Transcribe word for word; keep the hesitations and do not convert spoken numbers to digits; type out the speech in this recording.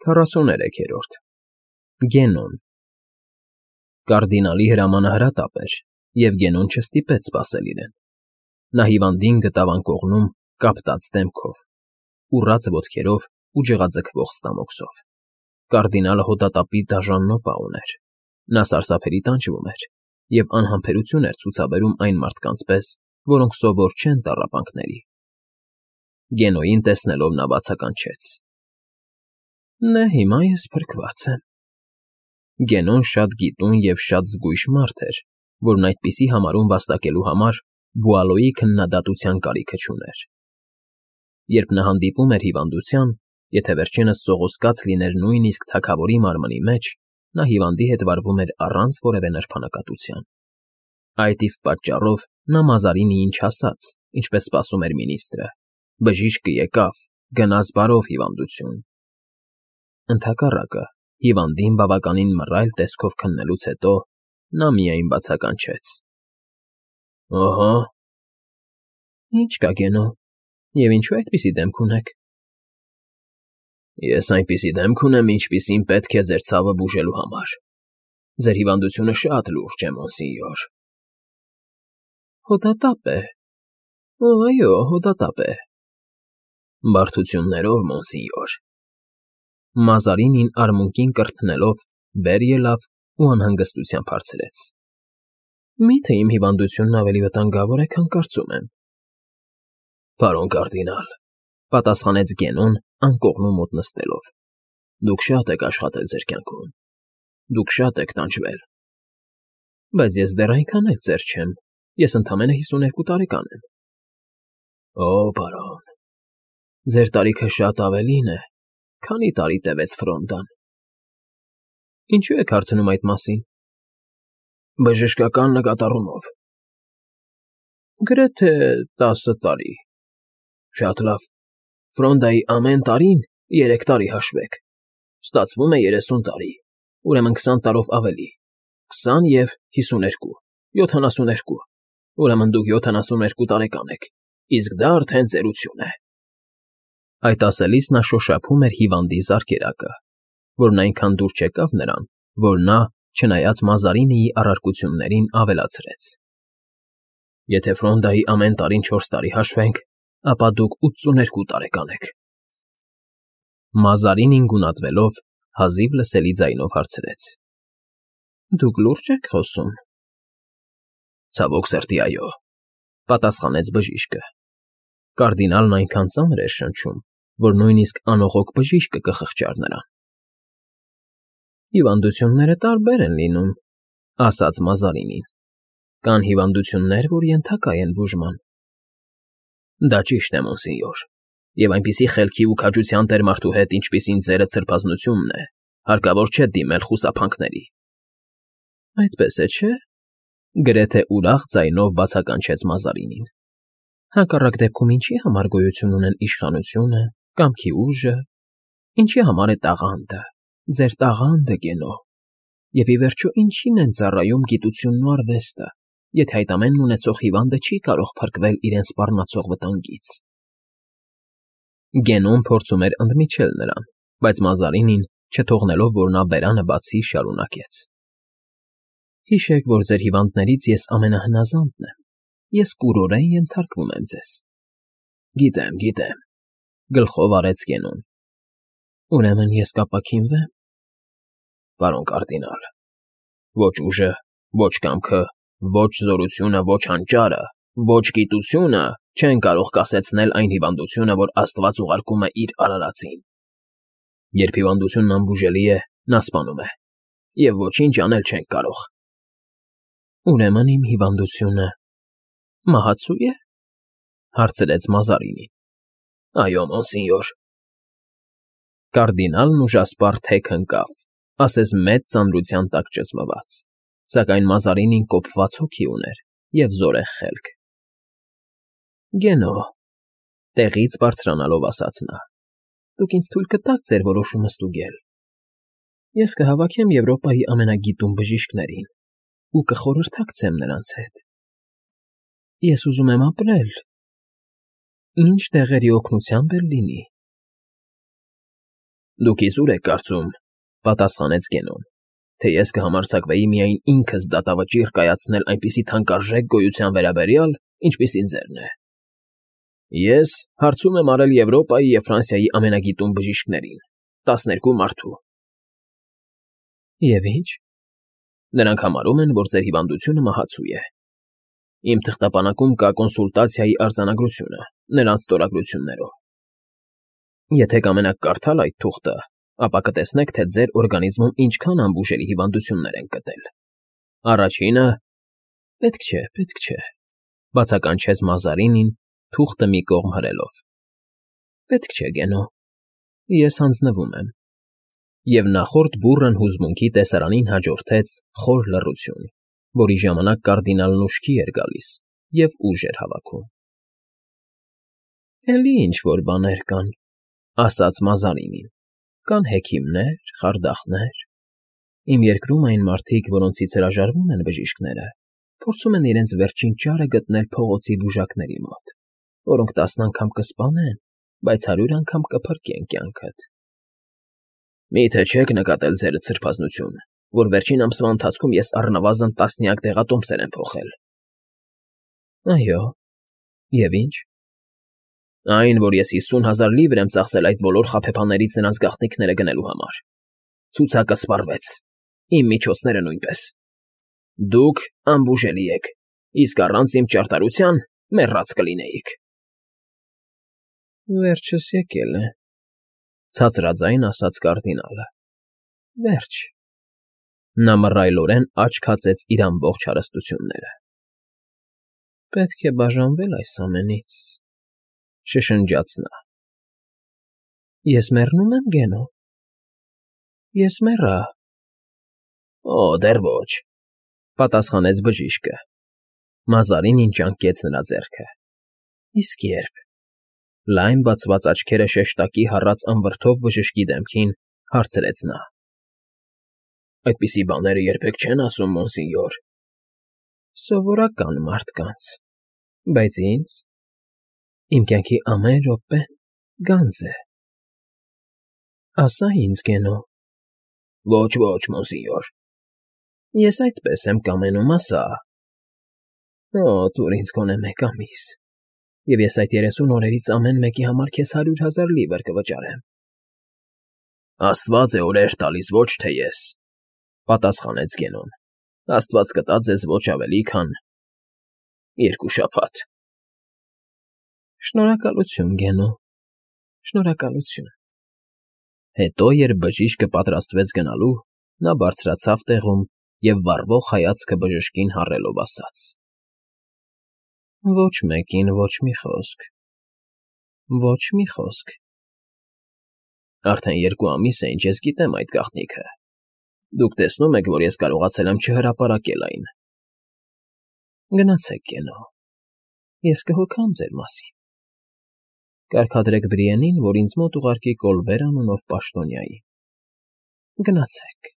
Քառասուներեքերորդ Գենոն Կարդինալի հրամանը հրատապ էր, և Գենոն չստիպեց սպասել իրեն. նա հիվանդին գտավ անկողնում կապտած դեմքով, ուռած ոտքերով ու ջղաձգվող ստամոքսով. կարդինալը հոդատապի դաժան նոպա ուներ, նա սարսափելի տանջվում էր և անհամբերություն էր ցուցաբերում այն մարդկանց պես, որոնք սովոր չեն տառապանքների. Գենոյին տեսնելով նա բացականչեց. Նա հիմա ես փրկված եմ։ Գենոն շատ գիտուն և շատ զգույշ մարդ էր, որն այդպիսի համարում վաստակելու համար Բուալոյի քննադատության կարիքը չուներ։ Երբ նա հանդիպում էր հիվանդության, եթե վերջինս սողոսկաց լիներ նույնիսկ թագավորի մարմնի մեջ, նա հիվանդի հետ վարվում էր առանց որևէ նրբանակատության։ Այդ իսկ պատճառով նա Մազարինիին չասաց, ինչպես սպասում էր մինիստրը. բժիշկը եկավ, գնաս բարով հիվանդություն։ Ընդհակառակը, հիվանդին բավականին մռայլ տեսքով քննելուց հետո նա միայն բացականչեց. Ըհը։ Ինչ կա, Գենո, և ինչու այդպիսի դեմք ունեք։ Ես այնպիսի դեմք ունեմ, ինչպիսին պետք է ձեր ցավը բուժելու համար։ Ձեր հիվանդությունը շատ լուրջ է, մոնսինյոր։ Հոդատապ է։ Այո, հոդատապ է։ Բարդություններով, մոնսինյոր։ Մազարինին արմունկին կրթնելով վեր ելավ ու անհանգստությամբ հարցրեց. Մի՞թե իմ հիվանդությունն ավելի վտանգավոր է, քան կարծում եմ։ Պարոն կարդինալ, պատասխանեց Գենոն անկողնու մոտ նստելով. Դուք շատ եք աշխատել ձեր կյանքում։ Դուք շատ եք տանջվել։ Բայց ես դեռ այնքան էլ ծեր չեմ, ես ընդամենը հիսուներկու տարեկան եմ։ Օ, պարոն, ձեր տարիքը շատ ավելին է, քանի տարի տևեց ֆրոնդան։ Ինչու եք հարցնում այդ մասին։ Բժշկական նկատառումով։ Գրեթե տասը տարի։ Շատ լավ։ Ֆրոնդայի ամեն տարին երեք տարի հաշվեք։ Ստացվում է երեսուն տարի, ուրեմն քսան տարով ավելի, քսան և հիսուներկու, յոթանասուներկու, ուրեմն դուք յոթանասուներկու տարեկան եք, իսկ դա արդեն ծերություն է։ Այդ ասելիս նա շոշափում էր հիվանդի զարկերակը, որն այնքան դուր չեկավ նրան, որ նա, չնայած Մազարինիի առարկություններին, ավելացրեց. Եթե ֆրոնդայի ամեն տարին չորս տարի հաշվենք, ապա դուք ութսուներկու տարեկան եք։ Մազարինին գունատվելով հազիվ լսելի ձայնով հարցրեց. Դուք լուրջ եք խոսում։ Ցավոք սրտի, այո, պատասխանեց բժիշկը։ Կարդինալն այնքան ծանր էր շնչում, որ նույնիսկ անողոք բժիշկը կխղճար նրան։ Հիվանդությունները տարբեր են լինում, ասաց Մազարինին։ Կան հիվանդություններ, որ ենթակա են բուժման։ Դա ճիշտ է, մոնսինյոր, և այնպիսի խելքի ու քաջության տեր մարդու հետ, ինչպիսին ձերը ցրփազնությունն է, հարկավոր չէ դիմել խուսափանքների։ Այդպես է, չէ՞։ Գրեթե ուրախ ձայնով բացականչեց Մազարինին։ Հակառակ դեպքում ինչի համար գոյություն ունեն իշխանությունը, կամքի ուժը, ինչի համար է տաղանդը, ձեր տաղանդը, Գենո, և ի վերջո ինչին են ծառայում գիտությունն ու արվեստը, եթե այդ ամենն ունեցող հիվանդը չի կարող փրկվել իրեն սպառնացող վտանգից։ Գենոն փորձում էր ընդմիջել նրան, բայց Մազարինին, չթողնելով, որ նա բերանը բացի, շարունակեց. Հիշեք, որ ձեր հիվանդներից ես ամենահնազանդն եմ, ես կուրորեն ենթարկվում եմ ձեզ։ Գիտեմ, գիտեմ, գլխով արեց Գենոն։ Ուրեմն ես կապաքինվե՞մ։ Պարոն կարդինալ, ոչ ուժը, ոչ կամքը, ոչ զորությունը, ոչ հանճարը, ոչ գիտությունը չեն կարող կասեցնել այն հիվանդությունը, որ Աստված ուղարկում է իր արարածին։ Երբ հիվանդությունն անբուժելի է, նա սպանում է, և ոչինչ անել չենք կարող։ Ուրեմն իմ հիվանդությունը մահացու է, հարցրեց Մազարինին։ Այո, մոնսինյոր։ Կարդինալն ուժասպառ թեք ընկավ, ասես մեծ ծանրության տակ ճզմված, սակայն Մազարինին կոփված հոգի ուներ և զորեղ խելք։ Գենո, տեղից բարձրանալով ասաց նա, դուք ինձ թույլ կտաք ձեր որոշումը ստուգել։ Ես կհավաքեմ Եվրոպայի ամենագիտուն բժիշկներին ու կխորհրդակցեմ նրանց հետ։ Ես ուզում եմ ապրել, ինչ դեղերի օգնությամբ էլ լինի։ Դուք իզուր եք կարծում, պատասխանեց Գենոն, թե ես կհամարձակվեի միայն ինքս դատավճիռ կայացնել այնպիսի թանկարժեք գոյության վերաբերյալ, ինչպիսին ձերն է։ Ես հարցում եմ արել Եվրոպայի և Ֆրանսիայի ամենագիտուն բժիշկներին, տասներկու մարդու։ Եվ ի՞նչ։ Նրանք համարում են, որ ձեր հիվանդությունը մահացու է։ Իմ թղթապանակում կա կոնսուլտացիայի արձանագրությունը, նրանց ստորագրություններով։ Եթե կամենաք կարդալ այդ թուղթը, ապա կտեսնեք, թե ձեր օրգանիզմում ինչքան անբուժելի հիվանդություններ են գտել։ Առաջինը… Պետք չէ, պետք չէ, բացականչեց Մազարինին, թուղթը մի կողմ հրելով։ Պետք չէ, Գենո, ես հանձնվում եմ։ Եվ նախորդ բուռն հուզմունքի տեսարանին հաջորդեց խոր լռություն, որի ժամանակ կարդինալն ուշքի էր գալիս և ուժ էր հավաքում։ Էլի ինչ֊որ բաներ կան, ասաց Մազարինին, կան հեքիմներ, խարդախներ։ Իմ երկրում այն մարդիկ, որոնցից հրաժարվում են բժիշկները, փորձում են իրենց վերջին ճարը գտնել փողոցի բուժակների մոտ, որոնք տասն անգամ կսպանեն, բայց հարյուր անգամ կփրկեն կյանքդ։ Մի՞թե չեք նկատել, ձերդ սրբազնություն, որ վերջին ամսվա ընթացքում ես առնվազն տասնյակ դեղատոմսեր եմ փոխել։ Այո, և ի՞նչ։ Այն, որ ես հիսուն հազար լիվր եմ ծախսել այդ բոլոր խաբեբաներից նրանց գաղտնիքները գնելու համար։ Ցուցակը սպառվեց, իմ միջոցները նույնպես։ Դուք անբուժելի եք, իսկ առանց իմ ճարտարության մեռած կլինեիք։ Վերջս եկել է, ցածրաձայն ասաց կարդինալը։ Վերջ։ Նա մռայլորեն աչք հացեց իր ամբողջ հարստությունները։ Պետք է բաժանվել այս ամենից, շշնջաց նա։ Ես մեռնում եմ, Գենո։ Ես մեռա։ Օ, դեռ ոչ, պատասխանեց բժիշկը։ Մազարինին ճանկեց նրա ձեռքը։ Իսկ երբ։ Լայն բացված աչքերը շեշտակի հառած անվրդով բժշկի դեմքին հարցրեց նա։ Այդպիսի բաները երբեք չեն ասում, մոնսինյոր։ Սովորական մարդկանց, բայց ինձ… Իմ կյանքի ամեն րոպեն գանձ է։ Ասա ինձ, Գենո։ Ոչ, ոչ, մոնսինյոր։ Ես այդպես եմ կամենում, ասա։ Օ, տուր ինձ գոնե մեկ ամիս, և ես այդ երեսուն օրերից ամեն մեկի համար քեզ հարյուր հազար լիվր կվճարեմ։ Աստված է օրեր տալիս, ոչ թե ես, պատասխանեց Գենոն։ Աստված կտա ձեզ ոչ ավելի, քան երկու շաբաթ։ Շնորհակալություն, Գենո, շնորհակալություն։ Հետո, երբ բժիշկը պատրաստվեց գնալու, նա բարձրացավ տեղում և վառվող հայացքը բժշկին հառելով ասաց. Ոչ մեկին ոչ մի խոսք, ոչ մի խոսք։ Արդեն երկու ամիս է, ինչ ես գիտեմ այդ գաղտնիքը։ Դուք տեսնում եք, որ ես կարողացել եմ չհրապարակել այն։ Գնացեք, Գենո, ես կհոգամ ձեր մասին։ Կարգադրեք Բրիենին, որ ինձ մոտ ուղարկի Կոլբեր անունով պաշտոնյայի։ Գնացեք։